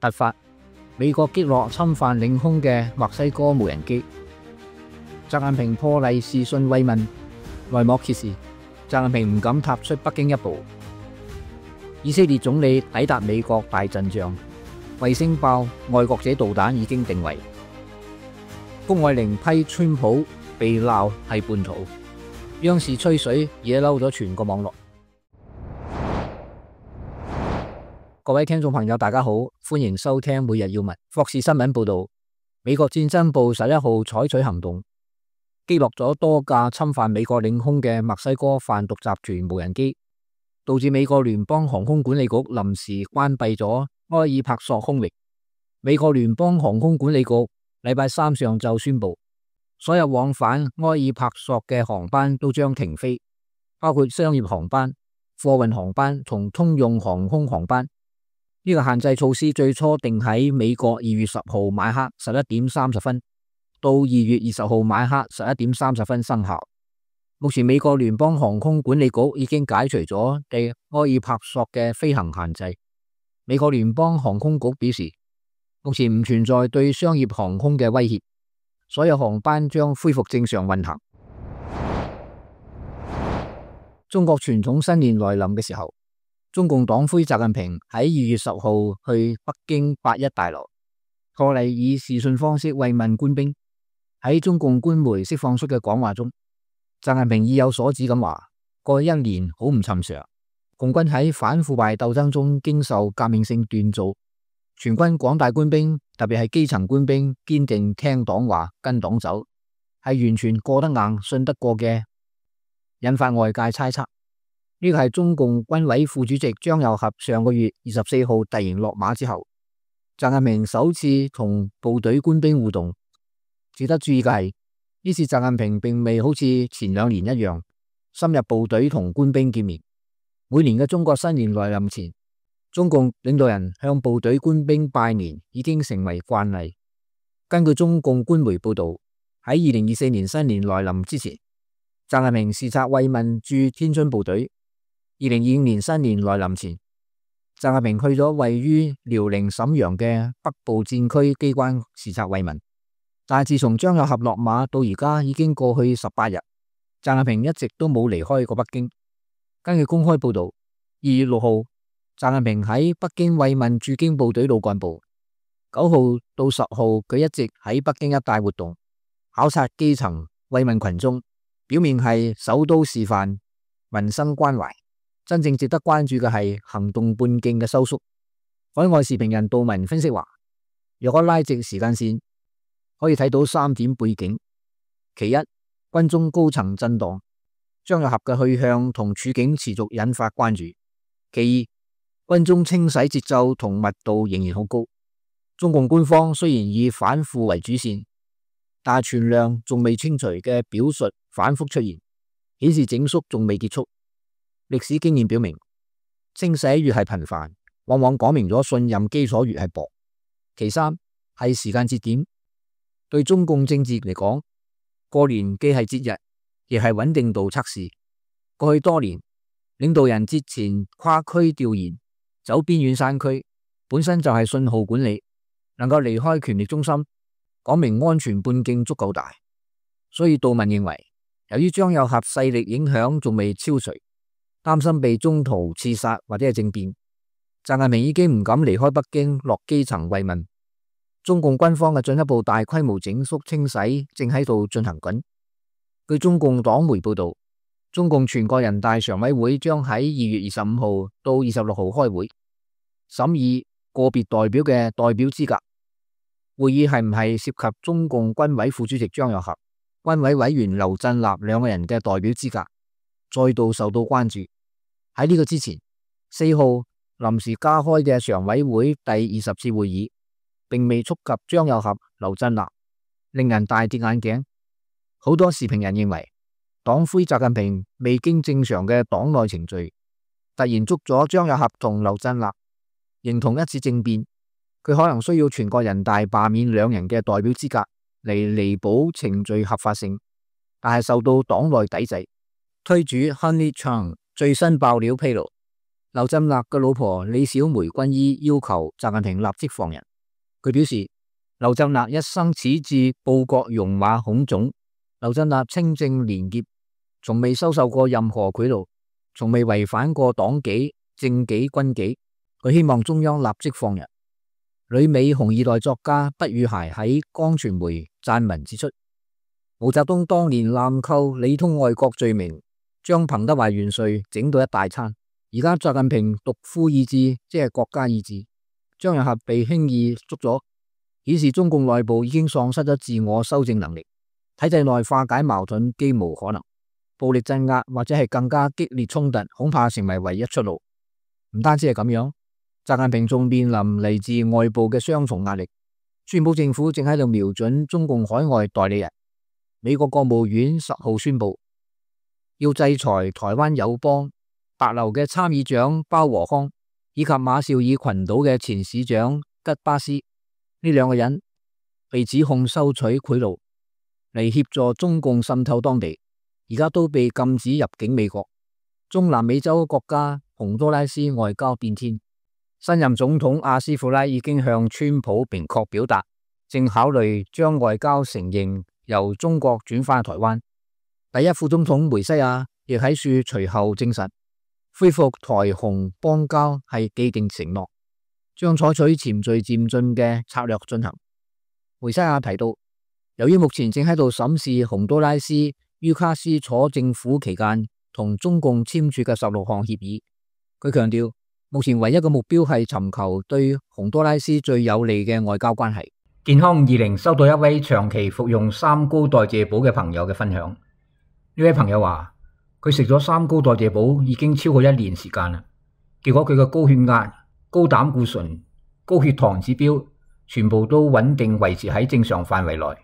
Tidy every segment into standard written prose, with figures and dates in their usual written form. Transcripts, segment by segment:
突發，美國擊落侵犯領空嘅墨西哥無人機。習近平破例視訊慰問，內幕揭示，習近平唔敢踏出北京一步。以色列總理抵達美國大陣仗，衛星爆愛國者導彈已經定位。谷愛凌批川普被鬧係叛徒，央視吹水惹嬲咗全個網絡。各位聽眾朋友大家好，歡迎收聽每日要聞。霍士新聞報道，美國戰爭部11號採取行動，擊落咗多架侵犯美國領空嘅墨西哥販毒集團無人機，導致美國聯邦航空管理局臨時關閉咗埃爾帕索空域。美國聯邦航空管理局禮拜三上晝宣布，所有往返埃爾帕索嘅航班都將停飛，包括商業航班、貨運航班同通用航空航班。呢個限制措施最初定喺美國2月10號晚黑11點30分到2月20號晚黑11點30分生效。目前美國聯邦航空管理局已經解除咗對埃爾帕索嘅飛行限制。美國聯邦航空局表示，目前唔存在對商業航空嘅威脅，所有航班將恢復正常運行。中國傳統新年來臨嘅時候，中共黨魁習近平喺2月10號去北京8·1大樓，破例以視訊方式慰問官兵。喺中共官媒釋放出嘅講話中，習近平意有所指咁話：過去一年好唔尋常，共軍喺反腐敗鬥爭中經受革命性鍛造，全軍廣大官兵，特別係基層官兵，堅定聽黨話跟黨走，係完全過得硬、信得過嘅，引發外界猜測。呢個係中共軍委副主席張又俠上個月24號突然落馬之後，習近平首次同部隊官兵互動。值得注意嘅係，呢次習近平並未好似前2年一樣深入部隊同官兵見面。每年嘅中國新年來臨前，中共領導人向部隊官兵拜年已經成為慣例。根據中共官媒報道，喺2024年新年來臨之前，習近平視察慰問駐天津部隊。2025年新年來臨前，習近平去咗位於遼寧瀋陽嘅北部戰區機關視察慰問。但係自從張又俠落馬到而家已經過去18日，習近平一直都冇離開過北京。根據公開報道，2月6號，習近平喺北京慰問駐京部隊老幹部。9號到10號，佢一直喺北京一帶活動，考察基層，慰問群眾，表面係首都示範，民生關懷。真正值得關注嘅係行動半徑嘅收縮。海外時評人杜文分析話，若果拉直時間線，可以睇到3點背景。其一，軍中高層震盪，張又俠嘅去向同處境持續引發關注。其二，軍中清洗節奏同密度仍然好高。中共官方雖然以反腐為主線，但存量仲未清除嘅表述反覆出現，顯示整肅仲未結束。歷史經驗表明，清洗越係頻繁，往往講明咗信任基礎越係薄。其三係時間節點，對中共政治嚟講，過年既係節日，亦係穩定度測試。過去多年，領導人節前跨區調研，走邊遠山區，本身就係信號管理，能夠離開權力中心，講明安全半徑足夠大。所以杜文認為，由於張又俠勢力影響仲未消除，擔心被中途刺殺或者係政變，習近平已經唔敢離開北京落基層慰問。中共軍方嘅進一步大規模整肅清洗正喺度進行緊。據中共黨媒報道，中共全國人大常委會將喺2月25號到26號開會，審議個別代表嘅代表資格。會議係唔係涉及中共軍委副主席張又俠、軍委委員劉振立兩個人嘅代表資格，再度受到關注。喺呢個之前，4號臨時加開嘅常委會第20次會議，並未觸及張又俠、劉振立，令人大跌眼鏡。好多時評人認為，黨魁習近平未經正常嘅黨內程序，突然捉咗張又俠同劉振立，形同一次政變。佢可能需要全國人大罷免兩人嘅代表資格嚟彌補程序合法性，但係受到黨內抵制。推主 Honey Chang 最新爆料披露，劉振立嘅老婆李小梅軍醫要求習近平立即放人。佢表示，劉振立一生矢志報國戎馬孔種。劉振立清正廉潔，從未收受過任何賄賂，從未違反過黨紀、政紀、軍紀。佢希望中央立即放人。旅美紅二代作家畢宇諧喺江傳媒撰文指出，毛澤東當年濫扣理通外國罪名，將彭德懷元帥整到一大餐。而家習近平獨夫意志，即係國家意志，張又俠被輕易捉咗，顯示中共內部已經喪失咗自我修正能力。體制內化解矛盾幾無可能，暴力鎮壓或者係更加激烈衝突，恐怕成為唯一出路。唔單止係咁樣，習近平仲面臨嚟自外部嘅雙重壓力。川普政府正喺度瞄準中共海外代理人。美國國務院10號宣布，要制裁台灣友邦帛琉嘅參議長包和康以及馬紹爾群島嘅前市長吉巴斯。呢兩個人被指控收取賄賂嚟協助中共滲透當地，而家都被禁止入境美國。中南美洲國家洪都拉斯外交變天，新任總統阿斯庫拉已經向川普明確表達，正考慮將外交承認由中國轉返台灣。第一副總統梅西亞亦喺樹隨後證實，恢復台洪邦交係既定承諾，將採取循序漸進嘅策略進行。梅西亞提到，由於目前正喺度審視洪都拉斯於卡斯楚政府期間同中共簽署嘅16項協議，佢強調目前唯一嘅目標係尋求對洪都拉斯最有利嘅外交關係。健康20收到一位長期服用三高代謝寶嘅朋友嘅分享。呢位朋友話，佢食咗三高代謝寶已經超過1年時間啦，結果佢嘅高血壓、高膽固醇、高血糖指標全部都穩定維持喺正常範圍內。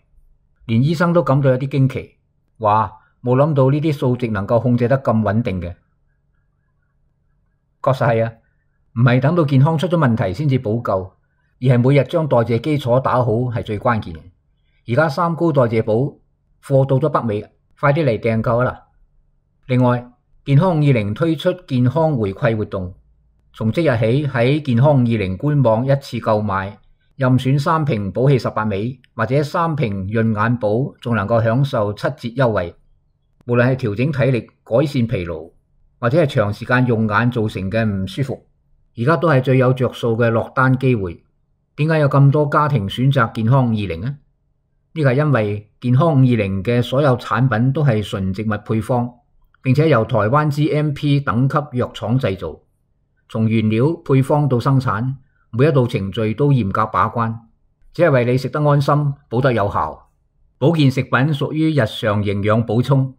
連醫生都感到有啲驚奇，話冇諗到呢啲數值能夠控制得咁穩定嘅。確實係啊，唔係等到健康出咗問題先至補救，而係每日將代謝基礎打好係最關鍵嘅。而家三高代謝寶貨到咗北美，快啲嚟訂購啦！另外，健康50推出健康回饋活動，從即日起喺健康20官網一次購買任選3瓶寶氣18味或者3瓶潤眼寶，仲能夠享受7折優惠。無論係調整體力、改善疲勞，或者係長時間用眼造成嘅唔舒服，而家都係最有着數嘅落單機會。點解有咁多家庭選擇健康20呢？呢個係因為健康50嘅所有產品都係純植物配方，並且由台灣 GMP 等級藥廠製造，從原料配方到生產，每一道程序都嚴格把關，只係為你食得安心，補得有效。保健食品屬於日常營養補充，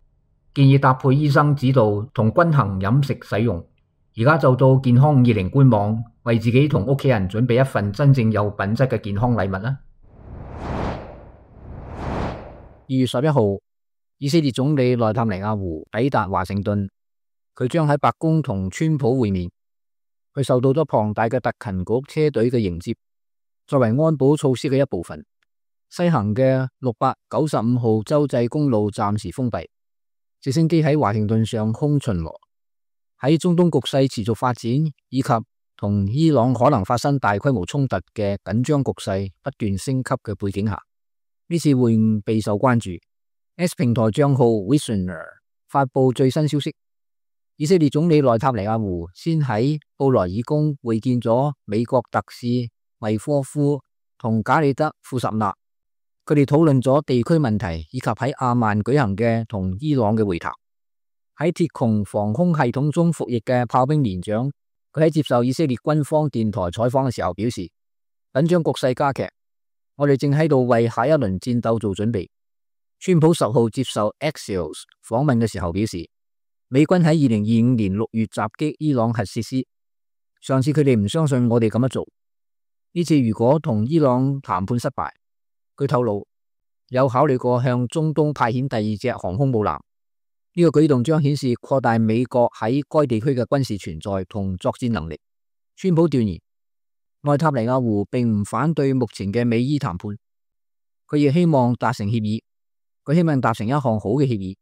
建議搭配醫生指導同均衡飲食使用。而家就到健康20官網，為自己同屋企人準備一份真正有品質嘅健康禮物啦。2月11號，以色列總理內塔尼亞胡抵達華盛頓，佢將喺白宮同川普會面。佢受到咗龐大嘅特勤局車隊嘅迎接，作為安保措施嘅一部分，西行嘅695號州際公路暫時封閉，直升機喺華盛頓上空巡邏。喺中東局勢持續發展以及同伊朗可能發生大規模衝突嘅緊張局勢不斷升級嘅背景下，呢次會晤備受關注。X 平台賬號 Visioner 發佈最新消息，以色列總理內塔尼亞胡先喺布萊爾宮會見咗美國特使維科夫同賈里德庫什納，佢哋討論咗地區問題以及喺阿曼舉行嘅同伊朗嘅會談。喺鐵穹防空系統中服役嘅炮兵連長，佢喺接受以色列軍方電台採訪嘅時候表示，緊張局勢加劇，我哋正喺度為下一輪戰鬥做準備。川普10號接受 Axios 訪問嘅時候表示，美軍喺2025年6月襲擊伊朗核設施，上次佢哋唔相信我哋咁樣做，呢次如果同伊朗談判失敗，佢透露有考慮過向中東派遣第2隻航空母艦，呢個舉動將顯示擴大美國喺該地區嘅軍事存在同作戰能力。川普斷言，內塔尼亞胡並唔反對目前嘅美伊談判，佢亦希望達成協議，佢希望達成一項好嘅協議，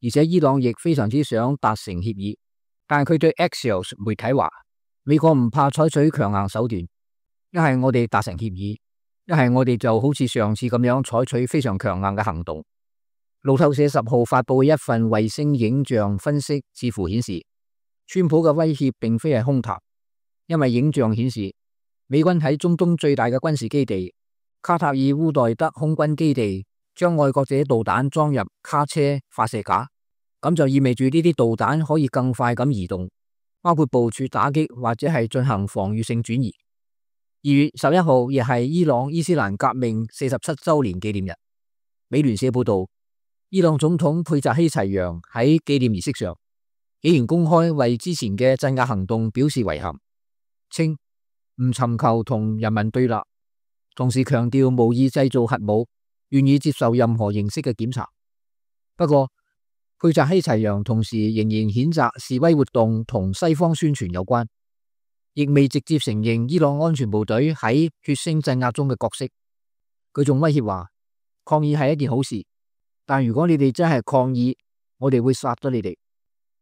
而且伊朗亦非常之想達成協議，但佢對 Axios 媒體話，美國唔怕採取強硬手段，一係我哋達成協議，一係我哋就好似上次咁樣採取非常強硬嘅行動。路透社10號發佈嘅一份衛星影像分析似乎顯示，川普嘅威脅並非係空談，因為影像顯示美軍喺中東最大嘅軍事基地卡塔爾烏代德空軍基地將愛國者導彈裝入卡車發射架，咁就意味住呢啲導彈可以更快咁移動，包括部署打擊或者係進行防禦性轉移。2月11號亦係伊朗伊斯蘭革命47周年紀念日。美聯社報道，伊朗總統佩扎希齊揚喺紀念儀式上竟然公開為之前嘅鎮壓行動表示遺憾，稱唔尋求同人民對立，同時強調無意製造核武，願意接受任何形式嘅檢查。不過，佩扎希齊揚同時仍然譴責示威活動同西方宣傳有關，亦未直接承認伊朗安全部隊喺血腥鎮壓中嘅角色。佢仲威脅話，抗議係一件好事，但如果你哋真係抗議，我哋會殺咗你哋。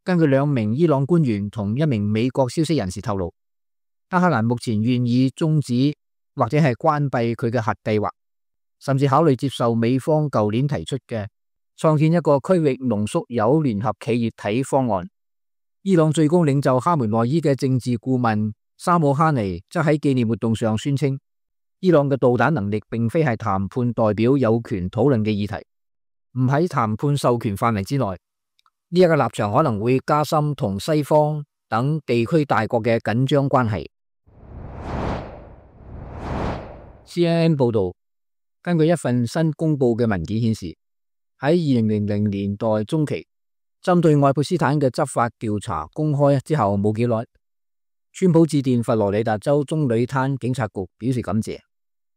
根據2名伊朗官員同1名美國消息人士透露，德黑蘭目前願意終止或者係關閉佢嘅核計劃，甚至考慮接受美方舊年提出嘅創建一個區域濃縮鈾聯合企業體方案。伊朗最高領袖哈梅內伊嘅政治顧問沙姆哈尼則喺紀念活動上宣稱，伊朗嘅導彈能力並非係談判代表有權討論嘅議題，唔喺談判授權範圍之內。呢一個立場可能會加深同西方等地區大國嘅緊張關係。CNN 報道，根據一份新公布嘅文件顯示，喺2000年代中期，針對愛潑斯坦嘅執法調查公開之後冇幾耐，川普致電佛羅里達州棕櫚灘警察局表示感謝。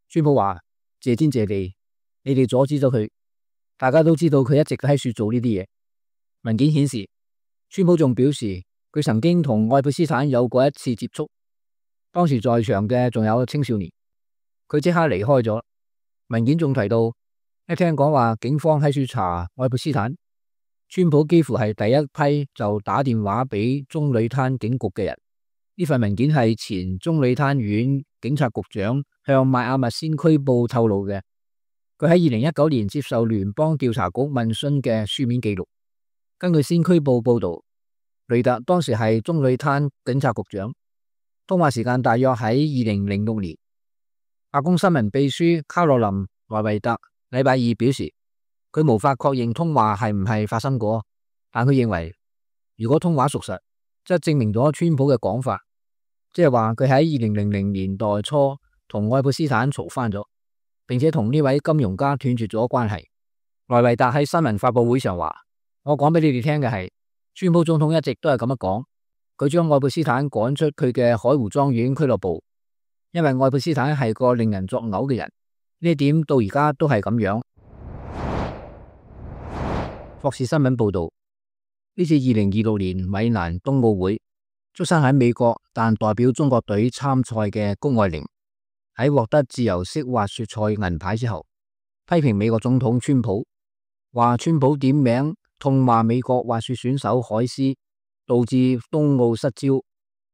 川普話：謝天謝地，你哋阻止咗佢。大家都知道佢一直喺處做呢啲嘢。文件顯示，川普仲表示佢曾經同愛潑斯坦有過一次接觸，當時在場嘅仲有青少年。佢即刻離開咗。文件仲提到，一聽講話警方喺處查愛潑斯坦，川普幾乎係第一批就打電話俾棕櫚灘警局嘅人。呢份文件係前棕櫚灘縣警察局長向邁阿密先驅報透露嘅，佢喺2019年接受聯邦調查局問詢嘅書面記錄。根據先驅報報道，雷特當時係棕櫚灘警察局長，通話時間大約喺2006年。白宮新聞秘書卡洛琳·萊維特禮拜二表示，佢無法確認通話係唔係發生過，但佢認為如果通話屬實，則證明咗川普嘅講法，即係話佢喺2000年代初同愛潑斯坦嘈翻咗，並且同呢位金融家斷絕咗關係。萊維特喺新聞發佈會上話：我講俾你哋聽嘅係，川普總統一直都係咁樣講，佢將愛潑斯坦趕出佢嘅海湖莊園俱樂部，因為愛潑斯坦係個令人作嘔嘅人，呢一點到而家都係咁樣。霍士新聞報道，呢次2026年米蘭冬奧會，出生喺美國但代表中國隊參賽嘅谷愛凌喺獲得自由式滑雪賽銀牌之後，批評美國總統川普，話川普點名痛罵美國滑雪選手海斯，導致冬奧失焦，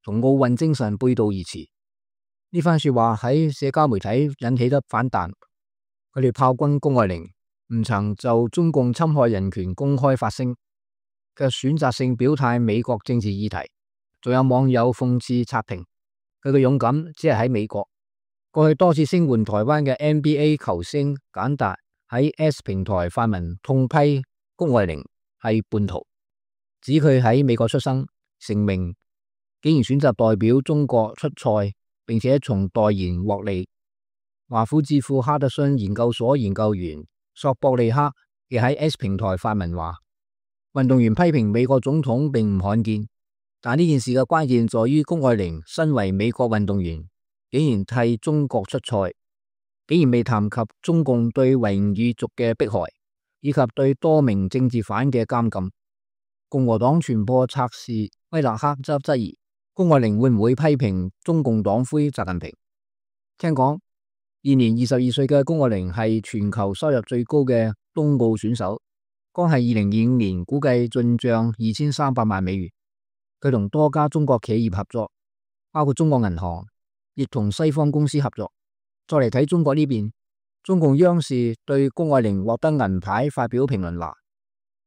同奧運精神背道而馳。呢番說話喺社交媒體引起得反彈，佢哋炮轟谷愛凌唔曾就中共侵害人權公開發聲，卻選擇性表態美國政治議題。仲有網友諷刺刷屏，佢嘅勇敢只係喺美國。過去多次聲援台灣嘅 NBA 球星簡達喺 S 平台發文痛批谷愛凌係叛徒，指佢喺美國出生成名，竟然選擇代表中國出賽，並且從代言獲利。華府智庫哈德遜研究所研究員索博利克亦喺 S 平台發文話，運動員批評美國總統並唔罕見，但呢件事嘅關鍵在於谷愛凌身為美國運動員，竟然替中國出賽，竟然未談及中共對維吾爾族嘅迫害，以及對多名政治犯嘅監禁。共和黨傳播策士威勒克則質疑谷愛凌會唔會批評中共黨魁習近平。聽講現年22歲嘅谷愛凌係全球收入最高嘅冬奧選手，光係2025年估計進賬2300萬美元。佢同多家中國企業合作，包括中國銀行，亦同西方公司合作。再嚟睇中國呢邊，中共央視對谷愛凌獲得銀牌發表評論話：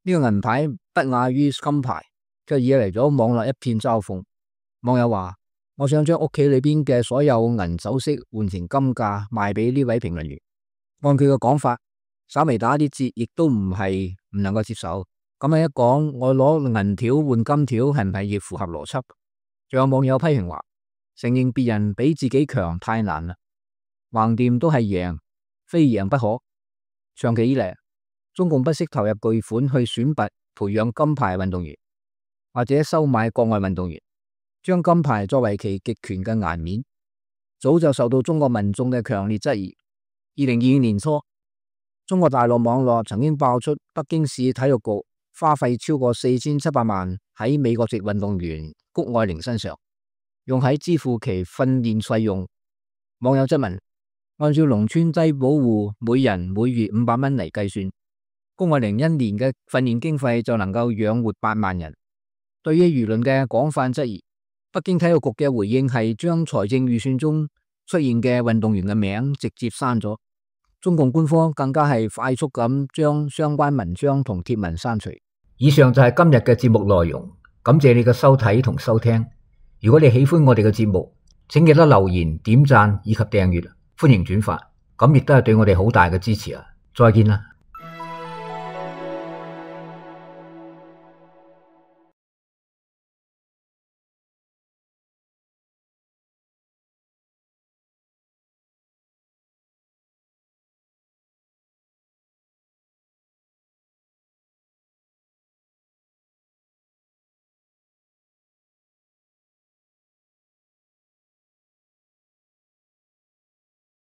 呢個銀牌不亞於金牌，卻惹嚟咗網絡一片嘲諷。網友話：我想將屋企裏邊嘅所有銀首飾換成金價賣俾呢位評論員。按佢嘅講法，稍微打啲折亦都唔係唔能夠接受。咁樣一講，我攞銀條換金條係唔係亦符合邏輯？仲有網友批評話：承認別人比自己強太難啦，橫掂都係贏，非贏不可。長期以嚟，中共不惜投入巨款去選拔培養金牌運動員，或者收買國外運動員，將金牌作為其極權嘅顏面，早就受到中國民眾嘅強烈質疑。2022年初，中國大陸網絡曾經爆出北京市體育局花費超過4700萬喺美國籍運動員谷愛凌身上，用喺支付其訓練費用。網友質問：按照農村低保戶每人每月500蚊嚟計算，谷愛凌一年嘅訓練經費就能夠養活8萬人。對於輿論嘅廣泛質疑，北京體育局嘅回應係將財政預算中出現嘅運動員嘅名直接刪咗。中共官方更加係快速咁將相關文章同貼文刪除。以上就係今日嘅節目內容，感謝你嘅收睇同收聽。如果你喜歡我哋嘅節目，請記得留言、點讚以及訂閱，歡迎轉發，咁亦都係對我哋好大嘅支持啊！再見啦。